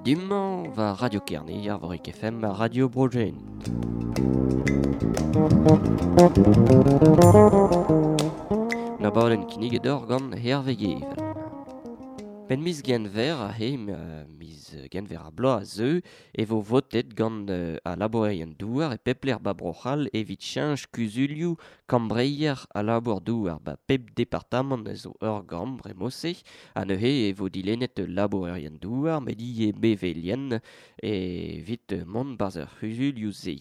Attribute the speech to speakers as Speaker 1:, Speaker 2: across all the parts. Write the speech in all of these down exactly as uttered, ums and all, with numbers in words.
Speaker 1: dummañ va Radio Kerne, Arvorik F M, Radio Brogen. Na baden kinnig edor gant Hervé Gevel. Ben miz genver a he, miz genver a bloaz a zeu, e vo votet gant uh, a labourerien douar e pepler ba Bro-C'hall evit cheñch kuzulioù kambreier a labour douar ba pep departamant a zo ur gambr e mose, ha neuze e vo dilennet labourerien douar met ivez bevelien evit mont barzh ar c'huzulioù se.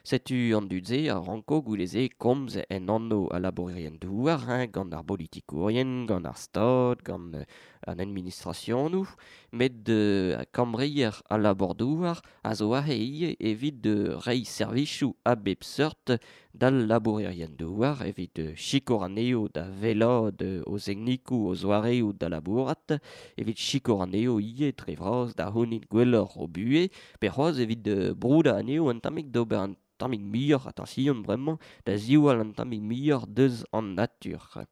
Speaker 1: Setu an dud-se a ranko gouleze komz en anv a labourerien douar, hein, gant ar politikourien, gant ar stad, gant an administrationoù, met euh, kambreier a labour douar a zo aze ivez evit de reiñ servichoù a bep seurt d'al labourerien douar, evit euh, sikour anezho da wellaat o zegnikoù o zoareoù da labourat, evit sikour anezho ivez dre vras da c'hounit gwelloc'h o buhez, pe c'hoazh evit euh, broudañ anezho un tammig d'ober un tammig muioc'h attention bremañ da ziwall un tammig muioc'h deus an natur.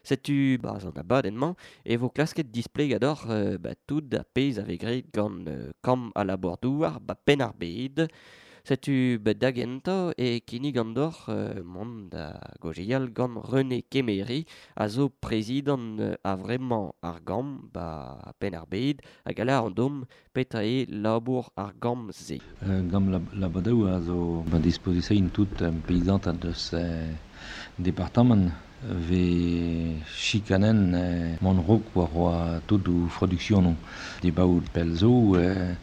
Speaker 1: Setu barzh an abadenn-mañ e vo klasket displegador euh, ba tout ar pezh a vez graet gant euh, kamp a labour douar ba penn ar bed. Setu ba da gentañ e kinnig an dor euh, mont da gaozeal gant René Kemere a zo prezidant euh, a vremañ ar gambr ba penn ar bed hag a lâr an dom petra eo labour ar gambr-se.
Speaker 2: Euh, gant la, labour a zo ba disposition tout um, paysant deus euh, departement ve chikanen eh, mon rok war oa tout ou productionoù. Dibaout pell zo, eh,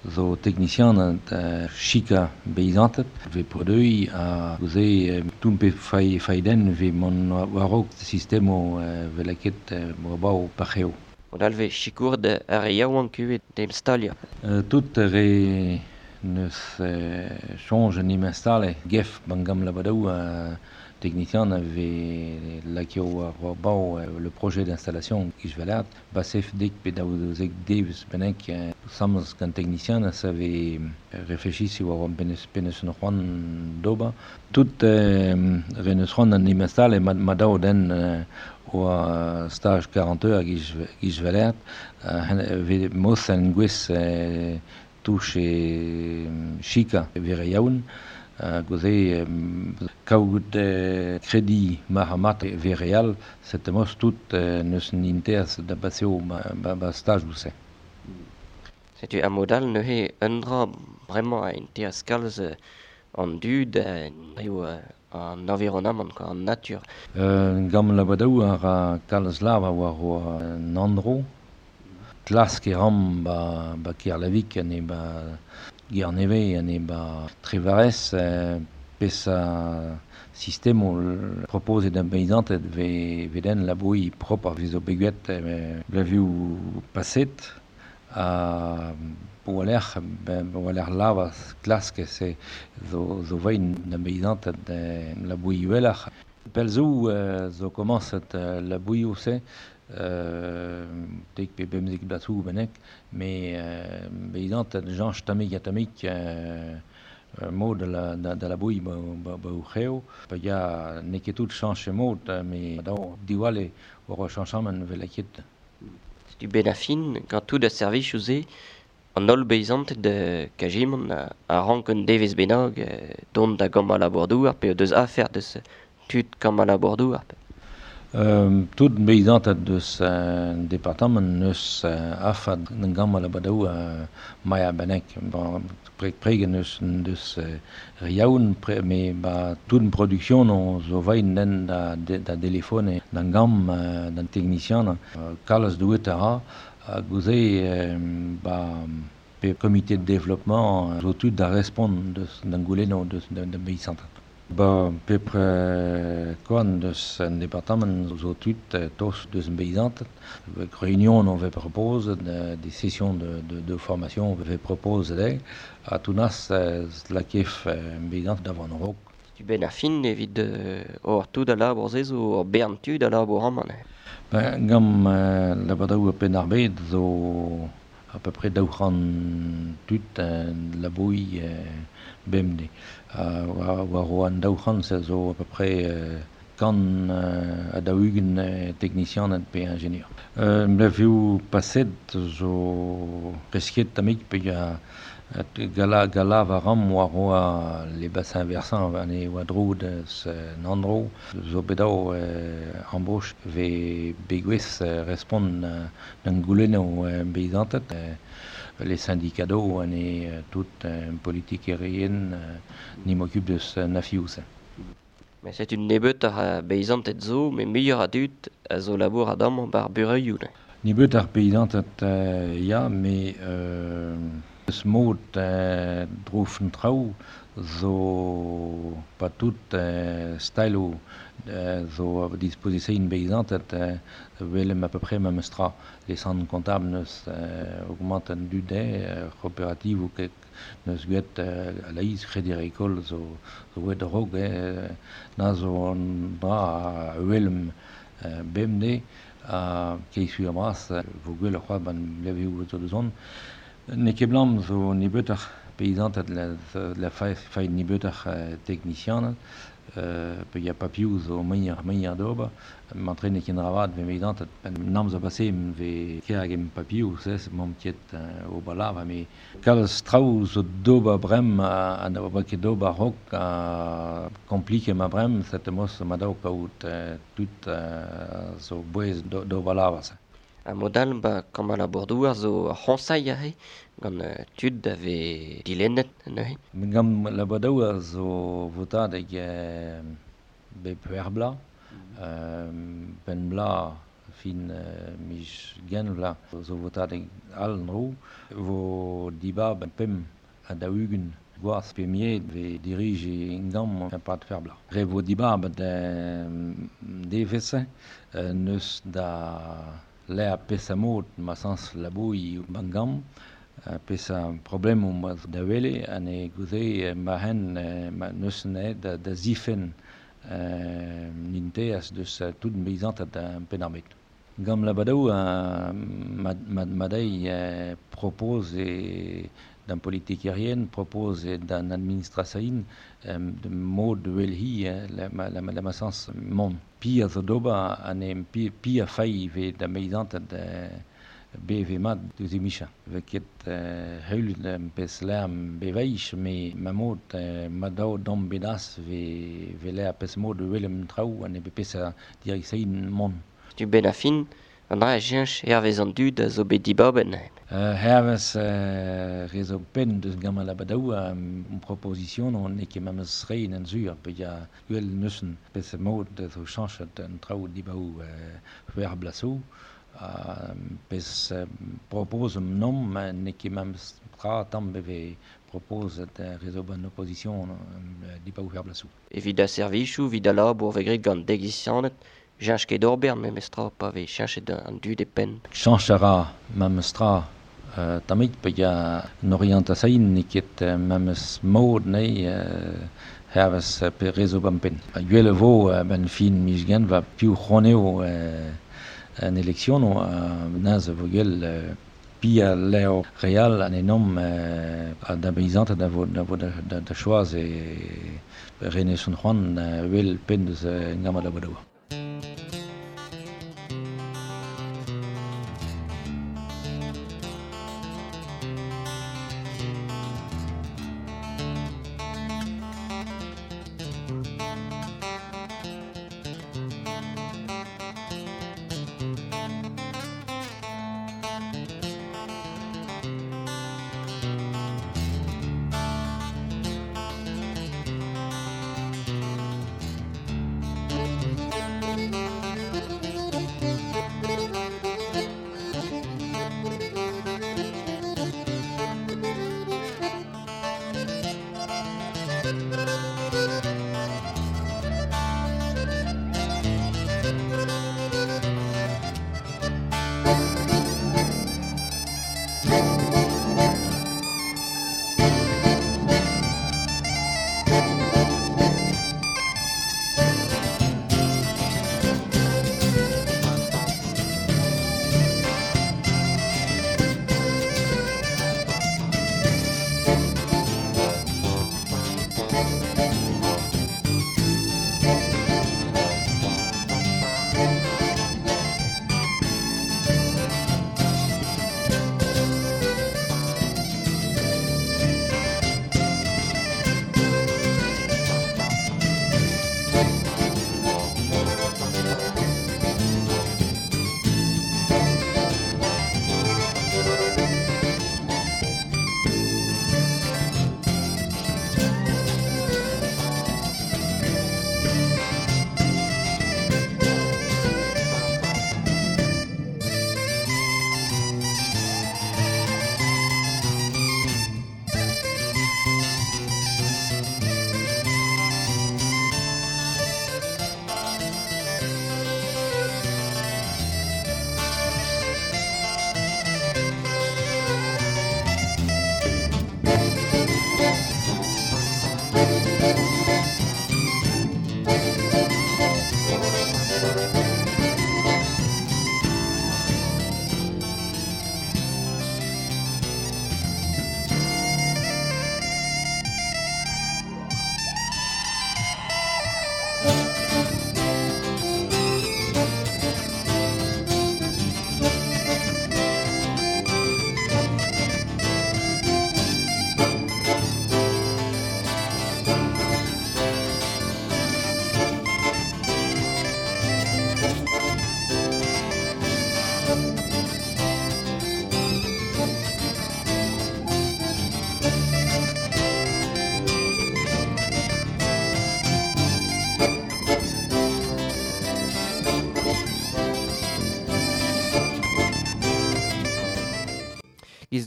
Speaker 2: zo technicien eh, chika beizantet, ve produi a gouze eh, tout pe fai, faiden ve mon war rok sistemo eh, ve laket eh, war parc'heo.
Speaker 1: On alve chikour de ar re yaouank kuvet d'em stalia.
Speaker 2: Euh, tout re neus eh, change en im installe gef bangam labadou euh, technicien avait lakio war war le projet d'installation isvelat basef dik pe daou zek deus benek samz gant technicien savait réfléchi si war penes penes no c'hoant d'ober tout euh, reneus c'hoant an im installe ma, ma daou den euh, oa stage quarante heures isvelat euh, ve mos an gwez euh, touche chika vere yaoun gouze kaout kredi mahamat vereal set mos tout neus an inters da baseo ba, ba, ba stage ouse.
Speaker 1: Setu a modal neuze un dra bremañ a inters kalz an dud eo an environnement, quoi, an natur.
Speaker 2: Euh, gant labadaou ar ra kalz lava war oa an andro. Klask e ram ba, ba Kerlavik ane ba Guerneve ane ba Trevarez eh, pes a sistemo propose d'un paysantet ve veden la bouille propre ar vizo beguet eh, blaviou passet a bo aler ben bo aler lava klask se zo zo vein d'un paysantet eh, la bouille uelach. Pelzou eh, zo komañset eh, la bouille ose Euh, tek pe bemzek blasoù benek, me euh, beizant janch tamik a tamik euh, mod de la, de, de la bouille ba, ba, ba o c'heo. Pa ya n'eo ket tout chanch mod, me daou diwale war chanchaman vel ket.
Speaker 1: Setu ben a fin, gant tout a servij ouzhe, an holl beizant de kajimon a, a rank un devez bennak dont da gant a labour douar pe deus afer deus tud gant a labour douar.
Speaker 2: Euh, tout beizant deus euh, departement neus euh, afad gant a labadaou euh, maia benek. Bon, pre, pregen neus deus euh, riaoun, pre, me ba tout une production on zo vain den da, da, da téléphone d'an gam euh, d'an technicien euh, kalz douet a ra a gouze euh, ba pe comité de développement zo tout da respond deus d'an gouleno deus d'an beizant. Ba pepre koan deus an departement zo tud tos deus an beizant. Réunion on ve propose de, des sessions de, de, de formation on ve propose de a tounas la kef beizant d'avant rok.
Speaker 1: Tu ben a fin evit or tout a labour se zo ur bern tud a labour amañ.
Speaker 2: Ben gant euh, labadaou penn ar bed zo à peu près daou c'hant tud euh, labouille euh, bemde. Uh, war, war an daou c'hant se zo à peu près euh, Kan euh, a daou-ugent euh, teknisianed pe ingenieur. Euh, Mlevioù paset zo presket tamik pe ya gala gala va ram war oa les bassins versants an e oa dro deus an andro zo bet dao euh, embauche ve begwez euh, respont euh, d'an goulennoù euh, beizanted euh, les syndicats an e euh, tout euh, politique aérienne euh, ni m'occupe deus euh, nafioù se.
Speaker 1: Mais c'est une nebeut ar beizanted zo, mais muioc'h a dud a zo labour a dam bar bureioù ne.
Speaker 2: Nebeut ar peizanted euh, ya, mais euh, eus mod euh, drofen traoù zo pa tout euh, stylo euh, zo a disposition beizanted euh, welem à peu près memes tra. Les centres comptables neus euh, augmentent an dud euh, coopérative ou ket neus gwet euh, a laïs Crédit Agricole zo, zo wet rog eh, na zo an dra a welem euh, bemde a keisu a bras vo gwell ar c'hoaz ban levioù zo deus on. Ne ket blam zo nebeut ar peizanted la, la fa, fa nebeut ar euh, teknisianed, euh, pe ya papioù zo muioc'h muioc'h d'ober, mantre ne ket ravat ve peizanted nam zo pase ve ker hag em papioù, sez, m'am ket euh, ober lav, me kalz traoù zo d'ober brem a, a na ober ket d'ober rok a komplike ma brem, set mos ma daou kaout euh, tout euh, zo bouez d'ober lav se.
Speaker 1: A modal ba kammal a bordouar zo ar c'hoñsailh aze gant euh, tud a vez dilennet neuze.
Speaker 2: Gant la badaou a zo votadeg euh, bep ur bla, euh, ben bla fin euh, mij gen vla zo votadeg all nro, vo diba ben pem a daou-ugent gwaz pe miet ve dirige ingam un pat fer bla. Re vo diba ben devese euh, neus da le pesa mod ma sans laboui bangam pesa problem ma da wele an e gouze ma hen ma neus ne da, da zifen euh, ninteas deus tout beizantat da penarbet. Gam la badaou ma, ma, ma dei euh, propose d'an politique aérienne propose d'an administration euh, de mod welhi la, la, la, la ma sans mon. Pi a zo d'ober an e pi, pi a fai ve da beizantat da B V mat deus e micha. Ve ket euh, heulet um, pes lerm beveich, me ma mod euh, ma dao dam bedas ve, ve ler pes mod welem traoù an e be pes a direction mon.
Speaker 1: Tu ben a fin, an dra a jench hervez an dud a zo bet dibaben.
Speaker 2: Euh, hervez euh, rezo pen deus gant la badaou a um, proposition on e ket memes rein en zur, pe ya gwell neusen pes mod zo chanchet an traoù dibaou euh, c'hwec'h blaso, a pes euh, propose nom ne ket memes tra tamm beve propose da rezo ban opposition euh, dibaou c'hwec'h blaso.
Speaker 1: Evit a servichoù, evit a labour ve gret gant degisianed, Jench ket d'ober memes tra pa vez cheñchet an dud e penn.
Speaker 2: Chañch a ra memes tra euh, tamik pe ya an orientasain ne ket euh, memes mod ne euh, hervez pe rezo ban penn. Gwell vo euh, ben fin miz gent va piv c'honeo euh, an eleksiono euh, naz vo gwell euh, pi a leo real an enom euh, a da beizant da vo da vo da, da, da choaz e rene son c'hoant euh, wel penn deus euh, ngama da bodaoua.
Speaker 3: Thank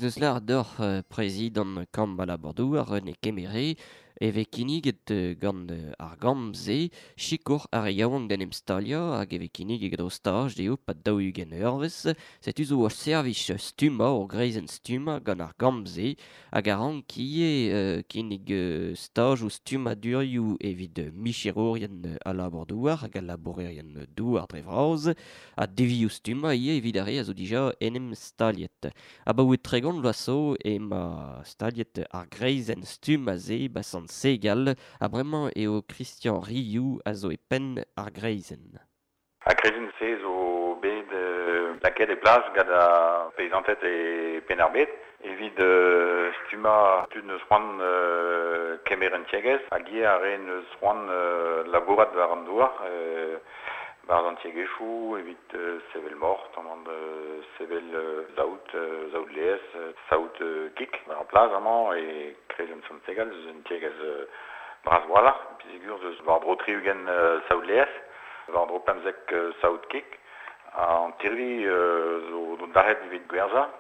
Speaker 1: neus lar d'oc'h euh, prezidant Kamp al labour-douar René Kemere e vez kinniget gant ar gambr-se sikour ar re yaouank d'en em staliañ hag e vez kinniget o staj dezho pad daou-ugent eurvezh. Setu zo ur servij stummañ, ur greizenn stummañ gant ar gambr-se hag a rank ivez euh, kinnig staj ou stummadurioù evit micherourien al labour-douar hag al labourerien douar dre vras ha devioù stummañ ivez evit ar re a zo dija en em staliet. Abaoe tregont vloaz zo ema staliet ar greizenn stummañ-se ba Sant Segal, ha bremañ eo Christian Riou a zo e penn ar greizenn.
Speaker 3: Ar greizenn-se zo bet euh, lakaet e plas gant ar peizanted e Penn-ar-Bed evit euh, stummañ tud neus c'hoant euh, kemer un tiegezh hag ivez ar re neus c'hoant euh, labourat war an douar euh, war an tiegezhioù evit euh, sevel mort, tamm euh, sevel euh, saout, euh, saout laezh, euh, saout euh, kig war ar plas amañ e kreizenn Sant Segal eus un tiegezh euh, bras walc'h, peogwir eus war-dro tri-ugent euh, saout laezh, war-dro pemzek euh, saout kig, an tirvi euh, zo zo dalc'het evit gwerzhañ.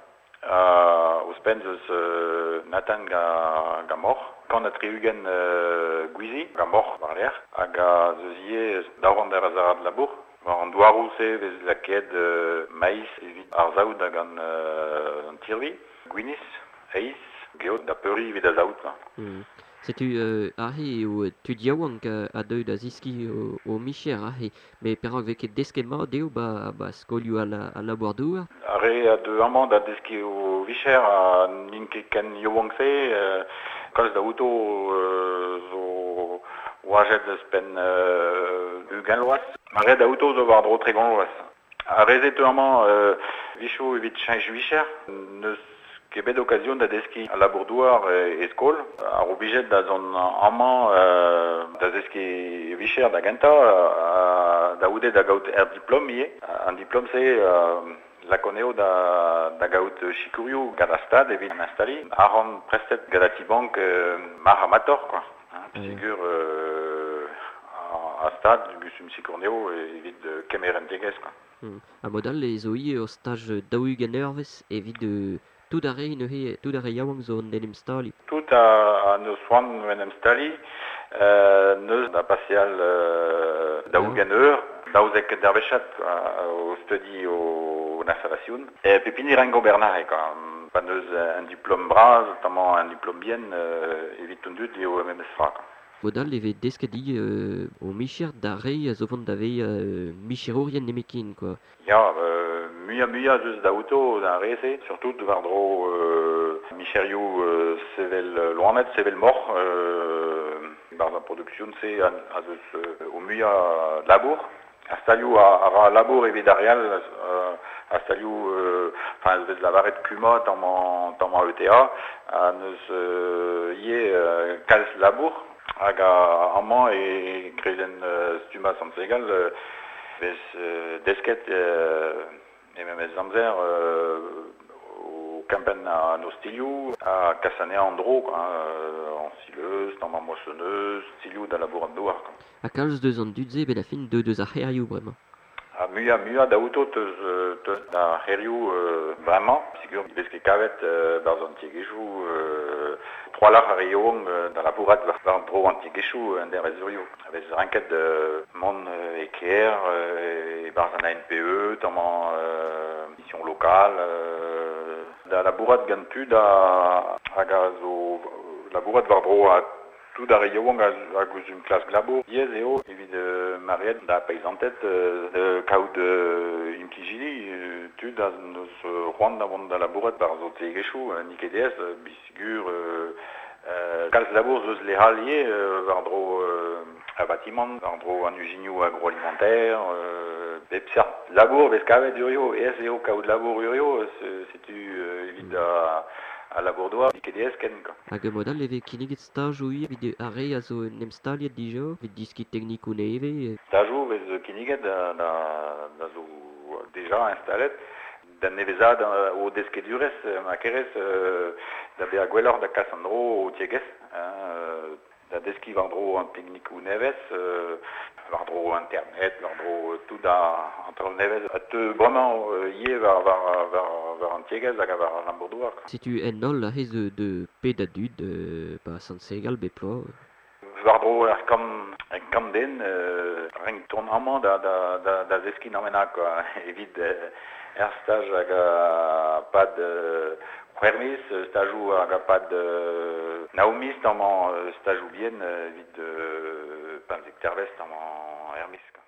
Speaker 3: Uh, ouzhpenn eus euh, Nathan ga, ga moc'h, kant ha tri-ugent euh, gwizi ga moc'h war-lerc'h, hag a zeus ivez daou ar azarad labour. War an douaroù-se vez lakaet euh, maiz evit ar saout hag an, euh, an tirvi, gwinizh, heiz, geot da peuriñ evit ar saout.
Speaker 1: Mm. Setu euh, aze eo tud yaouank a deu da ziskiñ o, o micher aze, met perak vez ket desket mat dezho ba, ba skolioù al, al labour-douar?
Speaker 3: Ar re a deu amañ da deskiñ o vicher ha n'int ket ken yaouank-se, euh, kalz da outo euh, zo oajet eus penn euh, ugent vloaz. Ar re da outo zo war-dro tregont vloaz. Ar re-se teu amañ euh, vichoù evit cheñch vicher, n'eus ket bet okazion da deskiñ al labour-douar e, e skol. Ar oblijet da zont amañ euh, da zeskiñ vicher da gentañ, euh, da goude da gaout er diplom ivez. An diplom-se euh, lakoneo da, da gaout sikourioù gant ar stad evit an instaliñ. Arc'hant prestet gant ar ti-bank euh, mar amator, quoi. Hein, peogwir euh, ar stad gustum sikourneo evit kemer un tiegezh, quoi.
Speaker 1: Mm. Ha mod all e zo ivez ur staj daou-ugent eurvezh evit euh, tout ar re neuze, tout ar re yaouank zo en em staliñ.
Speaker 3: Tout a, a neus c'hoant en em staliñ, euh, neus da paseal euh, daou-ugent eur, daouzek dervezhad o studi o installation. E pep hini rank ober nare, quoi. Pa neus un diplom bras, notamment un diplom bien, euh, evit an dud eo memes fra, quoi.
Speaker 1: Mod all e vez desket ivez euh, o micher d'ar re a zo vont da vezañ euh, micherourien nemetken, quoi.
Speaker 3: Ya, euh, muiañ muiañ deus da outo d'ar re-se, surtout war-dro euh, micherioù euh, sevel loened, sevel moc'h, euh, barzh ar production-se a, a zeus euh, o muiañ labour. Ar stalioù a, a ra labour evit ar re all, euh, ar stalioù, euh, enfin, vez lavaret Cuma tamm tamm E T A, a neus euh, ivez euh, kalz labour, hag a amañ e kreizenn euh, stummañ Sant Segal, euh, vez euh, desket euh, e memes amzer euh, o kempenn an ostilioù, a kas anezhañ an dro, quoi, hein, an sileuz, tamm ar moissonneuse, stilioù da labour an douar, quoi.
Speaker 1: Ha kalz deus an dud-se bet a fin deu deus ar c'hêrioù bremañ.
Speaker 3: Ha muiañ muiañ da outo teus, teus da c'hêrioù euh, bremañ, peogwir vez ket kavet euh, barzh an tiegezhioù, euh, troalc'h ar re yaouank euh, da labourat war an dro an tiegezhioù an dervezurioù. A vez ranket euh, mont euh, e kêr, euh, e barzh an A N P E, tamm euh, mission locale, euh, da labourat gant tud a, hag a zo labourat war-dro a tout ar re yaouank a, a guzum klask labour. Yez eo evit euh, mariet da peizanted euh, de kaout euh, implijidi, euh, tud a neus c'hoant da vont da labourat bar zo tiegezhioù, euh, n'eo ket aes, euh, bisigur, euh, euh, kalz labour zeus lehal ivez, euh, war-dro euh, a bâtiment, war-dro an uzinioù agroalimentaire, euh, bep seurt labour vez kavet urio, aes eo kaout labour urio, setu euh, evit a a labour-douar, n'eo ket aes ken, quoi.
Speaker 1: Hag mod all e vez kinniget stajoù ivez evit ar re a zo en em staliet dija, evit diskiñ teknikoù nevez.
Speaker 3: Stajoù vez kinniget da, da, da zo deja instalet, da nevezad o deskedurezh, ma kerez, euh, da bezañ gwelloc'h da kas an dro o tiegezh, hein, da da deskiñ war-dro an teknikoù nevez, euh, war-dro internet, war-dro tout a, an traoù nevez, a teu bremañ euh, ivez war, war, war, war an tiegezh hag war an labour-douar.
Speaker 1: Setu en holl aze zo de ped a dud euh, ba Sant-Segal bep bloaz.
Speaker 3: War-dro ar kant, ar kant den, euh, renk tourn amañ da, da, da, da zeskiñ an quoi, evit euh, er staj hag a pad euh, c'hwec'h miz, stajoù hag a pad euh, nav miz amañ euh, stajoù bien euh, evit euh, pemzek tervez amañ er miz. Quoi.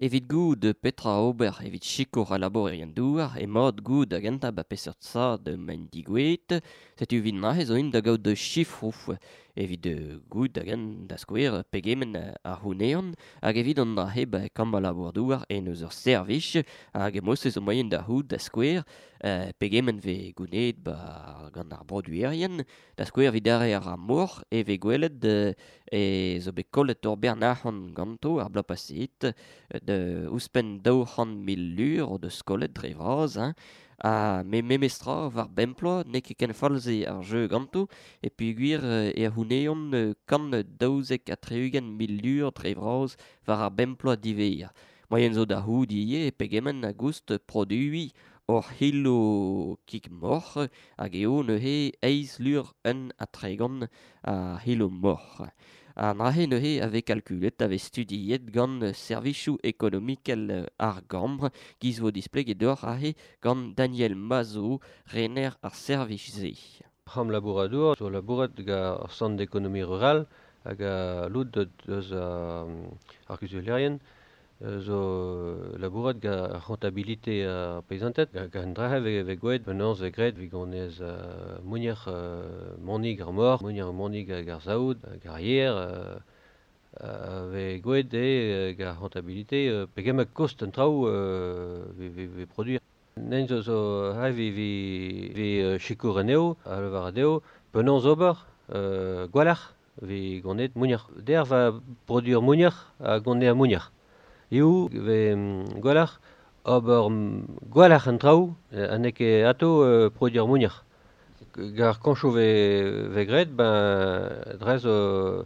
Speaker 1: Evit goud petra ober evit sikour a labourerien douar e mod goud a gentañ ba peseurt sad maint digouet, setu evit neuze zo int da gaout chifroù evit goud da gent da skouer pegement ar c'houneon hag evit an dra-se ba kambr labour-douar en eus ur servij hag e mod-se zo moaien da c'hout da skouer euh, pegement vez gouneet ba gant ar broduerien da skouer evit ar ar mor e vez gwelet euh, e zo bet kollet ur bern arc'hant ganto ar bloaz paseet de ouzhpenn daou c'hant mil lur o deus kollet dre vras hein. Ha me memestra war bemploa n'eo ket ken fall-se ar jeu ganto e peogwir e c'houneont kant daouzek ha tri-ugent mil lur dre vras war ar bemploa diwezhañ. Moaien zo da c'hout ivez pegement a goust produiñ ur c'hilo kig moc'h hag eo neuze eizh lur un ha tregont a c'hilo moc'h. An dra-se neuze a vez kalkulet, a vez studiet gant servijoù ekonomikel ar gambr, giz vo displeget deoc'h aze gant Daniel Mazo, rener ar servij-se.
Speaker 4: C'ham labouradour zo labourat gant ar centre d'économie rurale hag a lout deus ar kuzulerien zo labourat gant ar rentabilité ar paysanted gant an dra-se vez gwelet penaos vez graet evit gonez mounier monig ar mor, mounier monig hag ar saout, hag ar yer, vez gwelet eo gant ar rentabilité pegement kost an traoù vez produire. Nen zo zo hai vez vez sikour anezho, a lavar dezho, penaos ober, gwelloc'h. vi gonet mounier. Der va produire mounier a gonet a mounier. Iou ve gwalc'h ober gwalc'h an traoù ha n'eo ket ato euh, produire mounier. Gar kañchoù ve, ve graet, ben drez euh,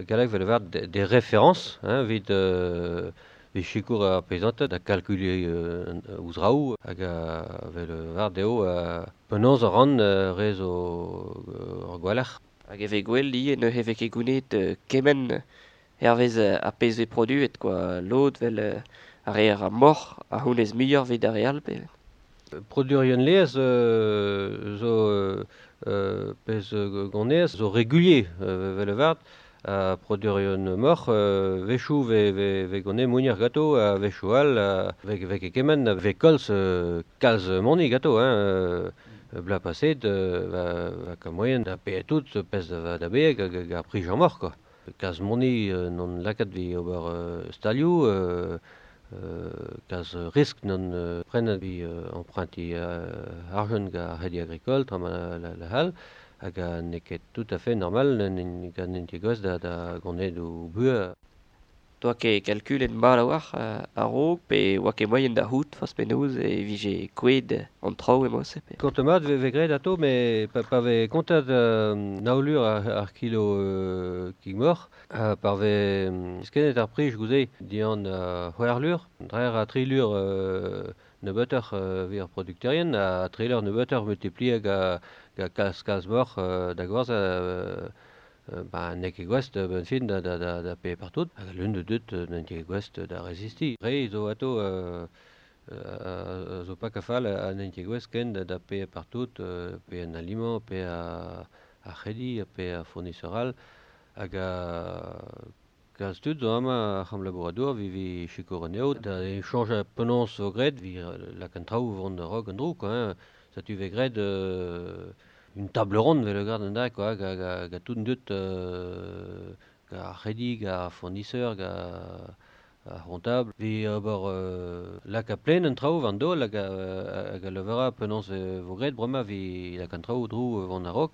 Speaker 4: galleg vel var des, des références hein, evit euh, evit sikour ar peizanted da kalkuliñ euh, ouzh raoù hag a vel var dezho euh, penaos a ran euh, rez o euh, ar gwalc'h.
Speaker 1: Hag e vez gwell ivez neuze vez ket gounit euh, kement hervez ar pezh vez produet quoi. Lod vel euh, ar re ar moc'h a c'hounez muioc'h evit ar re all pe.
Speaker 4: Produerien laezh euh, zo euh, pezh gonez zo régulier euh, vel vart a produerien moc'h euh, wechoù ve, ve, ve gonez mounier gato a wechoù all a ve, ve ket kement a ve kalz euh, kalz moni gato hein euh, bla paset euh, va, va ka moyen da paeañ tout pezh da, da beeg hag ar prij ar moc'h quoi. Kalz moni euh, non lakaat vi ober euh, stalioù euh, Euh, kalz risk non euh, prenet vi euh, emprunti euh, argent ga ar C'hrédit Agricole tra ma la, la hal hag a n'eo ket tout à fait normal gant en tiegezh da, da gonet o buhez.
Speaker 1: Doa ket kalkulet mat a-walc'h a-raok pe oa ket moaien da c'hoût forzh penaos e vije kouezhet an traoù emañ se pe.
Speaker 4: Kont mat ve, ve graet atao met pa, pa vez kontet euh, nav lur ar, ar kilo euh, kig moc'h ha par vez skennet ar prij goude dian uh, c'hwec'h lur, dre a tri lur euh, nebeutoc'h euh, evit ar produkterien ha tri lur nebeutoc'h multiplier ga, ga kalz kalz moc'h euh, da gwerzhañ euh, Euh, ba n'eo ket gouest ben fin da, da, da, da paeañ partout. Hag l'un de deut n'eo ket gouest da rezistiñ. Re zo ato euh, euh, zo pas kafal ha n'eo ket gouest ken da, da paeañ partout, euh, paeañ an aliment, paeañ ar, ar c'hredi, paeañ ar fournisseur all. Hag a kalz tud zo amañ ar c'hamp labouradour vi vi sikour anezho da chañj penaos zo graet vi lak an traoù vont a-raok an dro quoi hein. Setu vez graet euh, une table ronde vel gant an da quoi ga, ga, ga tout deut euh, ga ar c'hredi, ga ar fournisseur, ga ar c'hontable. Vi ober euh, lak a plen an traoù war an daol hag a, hag a levera penaos vo graet bremañ vi lak an traoù dro vont a-raok.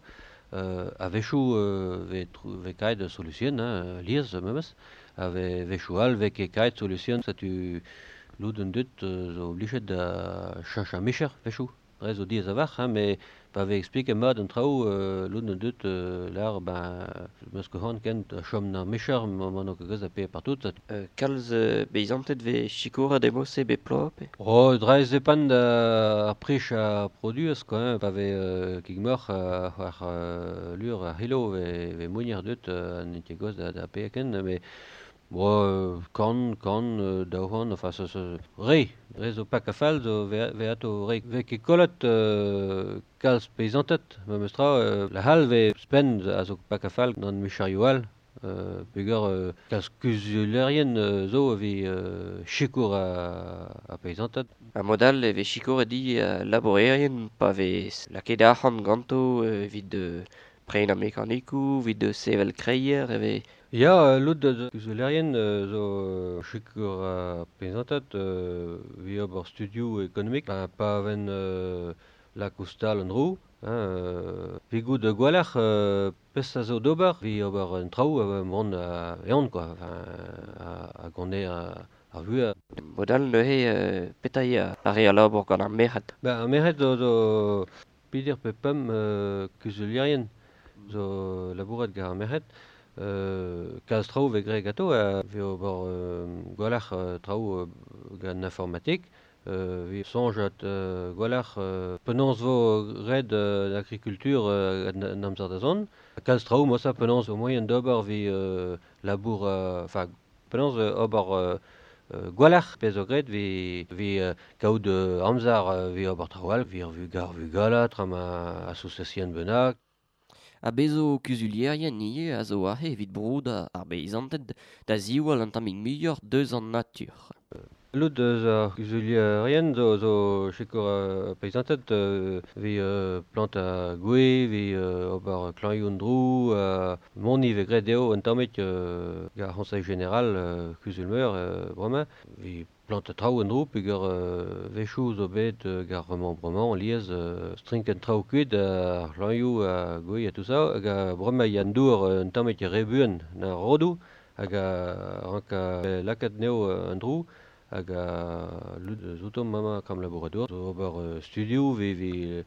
Speaker 4: Euh, a-wechoù euh, vez, vez kaet solution, hein, lies memes, a vez wechoù all vez ket kaet solution, setu lod an deut euh, zo oblijet da cheñch ar micher wechoù. Dre zo diaes a-walc'h, hein, met pa vez expliket mat an traoù euh, lod an deut euh, lar ben meus ket c'hoant ken da chom d'ar micher ma n'o ket gweuz da paeañ partout.
Speaker 1: Euh, kalz euh, beizanted vez sikouret emañ-se bep bloaz pe?
Speaker 4: Oh, dre zepant ar prij ar produez quoi, hein, pa vez euh, kig moc'h ar euh, lur ar c'hilo vez, vez mounier deut euh, an ket gweuz da, da paeañ ken, met Bon, euh, kant, kant, euh, daou c'hant, enfin, ça, ça, re, re zo pak a fall zo ve, ve ato re. Vez ket kollet euh, kalz peizanted, memes tra, euh, la hal vez spenn a zo pak a fall gant micherioù all, euh, peogwir euh, kalz kuzulerien euh, zo evit euh, sikour a, a peizanted.
Speaker 1: Ha mod all e vez sikouret di uh, labourerien pa vez lakaet arc'hant ganto evit euh, prenañ mekanikoù, evit sevel kreier e vez...
Speaker 4: Ya, lod da kuzulerien euh, zo sikour a peizanted euh, evit ober studioù ekonomik, ba, pa ven euh, lak ouzh-tal an dro, hein, euh, evit goût gwalc'h euh, pezh a zo d'ober, evit ober an traoù euh, mont a eon quoi, enfin, a, a gant a, ar vuhez.
Speaker 1: Mod all neuze euh, petra eo ar re a labour gant ar merc'hed?
Speaker 4: Ben, ar merc'hed zo, zo peder pe pemp euh, kuzulerien zo labourat gant ar merc'hed. Euh, kalz traoù vez graet ganto, a vez ober euh, gwalc'h euh, traoù euh, gant informatik, euh, vez soñjat euh, gwalc'h euh, penaos vo graet euh, l'agriculture euh, an, an amzer da zont. Kalz traoù mosa penaos o moaien d'ober vez euh, labour, enfin, penaos ober euh, gwalc'h pezh zo graet vez, vez euh, kaout euh, amzer euh, vez ober traoù all, vez ar vugar vugala, tra ma association bennak.
Speaker 1: Ha bezo kuzulierien ivez a zo aze evit broudañ ar beizanted da ziwall an tammig muioc'h deus an natur.
Speaker 4: Lod eus ar kuzulierien zo, zo sikour uh, peizanted euh, evit euh, plantañ gwez, evit euh, ober klañioù an dro, euh, mont ivez graet dezho un tammig euh, gant ar C'honseil Général euh, kuzul-meur euh, bremañ, evit Plant traoù en dro peogwir euh, wechoù zo bet euh, gar remembrement liez euh, strink en traoù kuit ar c'hlañioù ha gwez ha tout ça hag a bremañ ya an dour un tammig re buan na rodoù hag a rank a lakaat anezho an dro hag a lud zoutomp amañ kam labouradour zo ober euh, studioù ve ve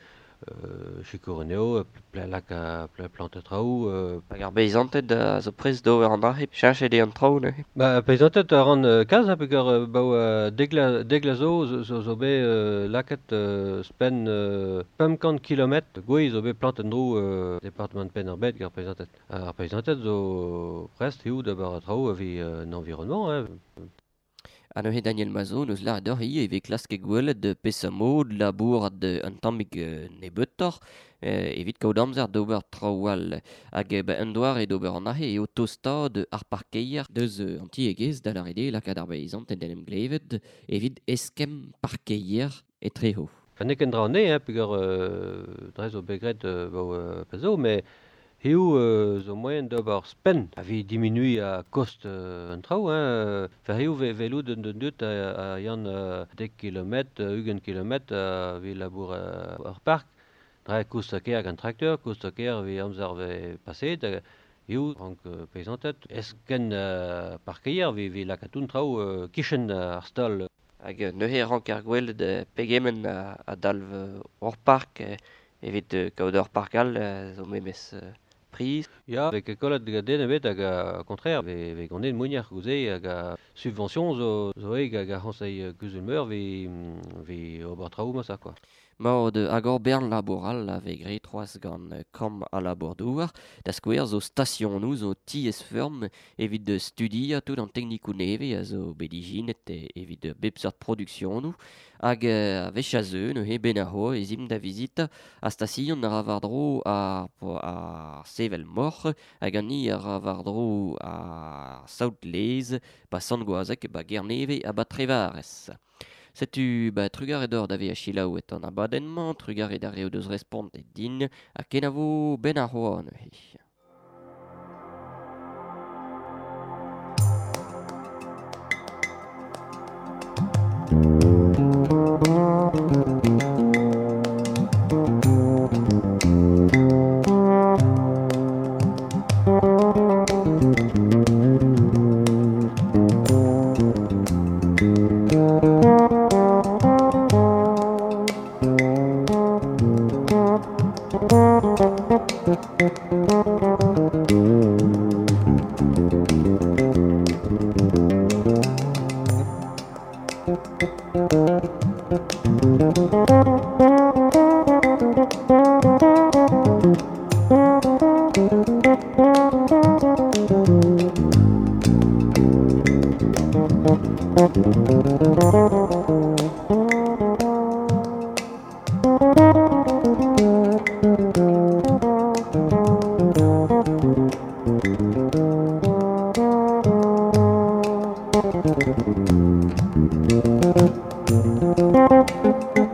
Speaker 4: euh, sikour anezho pla laka pla plant traoù euh,
Speaker 1: Hag ar beizanted a zo prest d'ober an dra hep cheñchet eo an traoù neuze.
Speaker 4: Ba, peizanted a ran euh, kalz ha peogwir euh, baoe euh, degla, degla zo zo, zo, zo bet euh, lakaet euh, spenn euh, pemp kant kilometr gwez zo bet plant en-dro euh, departement Penn-ar-Bed gant ar peizanted. Ar peizanted zo prest eo d'ober an traoù evit euh, an environnement hein.
Speaker 1: Ha neuze Daniel Mazo neus lâret deoc'h ivez e vez klasket gwelet peseurt mod labourat un tammig nebeutoc'h evit kaout amzer d'ober traoù all. Hag ba un doare d'ober an aze eo tostaat ar parkeier deus an tiegezh da lâret eo lakaat ar beizanted en em glevet evit eskemm parkeier etreho.
Speaker 4: Ha n'eo ket an dra anezhe hein, peogwir euh, dre zo bet graet euh, baoe euh, pell zo, met Hiziv euh, zo moaien d'ober spenn a vez diminuiñ a kost euh, an traoù hein. Enfin hiziv ve velout un dud a, a yann euh, dek kilometr, ugent kilometr a vez labour euh, ar park. Dre koust a ker gant trakteur, koust a ker vez amzer vez paseet. Hiziv rank euh, peizanted esken euh, parkeier vez vez lakaat un traoù euh, kichen ar stal.
Speaker 1: Hag neuze rank ar gwelet pegement a, a dalv hor park evit kaout ur park all zo memes priz.
Speaker 4: Ya, vez ket kollet gant den ebet hag a contraire, vez, vez ganet mounier gouze hag a subvention zo, zo eo hag a c'hoñsei kuzul-meur vez, vez ober traoù ma ça quoi.
Speaker 1: Maod hag ur bern labour all a vez graet c'hoazh gant kamp a labour-douar, da skouer zo stasionoù zo tiez-feurm evit studiañ tout an teknikoù nevez a zo bet ijinet evit bep seurt produksionoù hag a wech a zeu neuze ben ar c'hoaz ez imp da vizitañ a station a ra war-dro ar, ar sevel moc'h hag an ni a ra war-dro ar saout-lez ba Sant-Gwazeg ba Gernevez ha ba Trevarez. Setu ba trugarez deoc'h da vezañ selaouet an abadenn-mañ, trugarez d'ar re o deus respontet din, ha kenavo ben ar c'hoaz neuze. Thank you.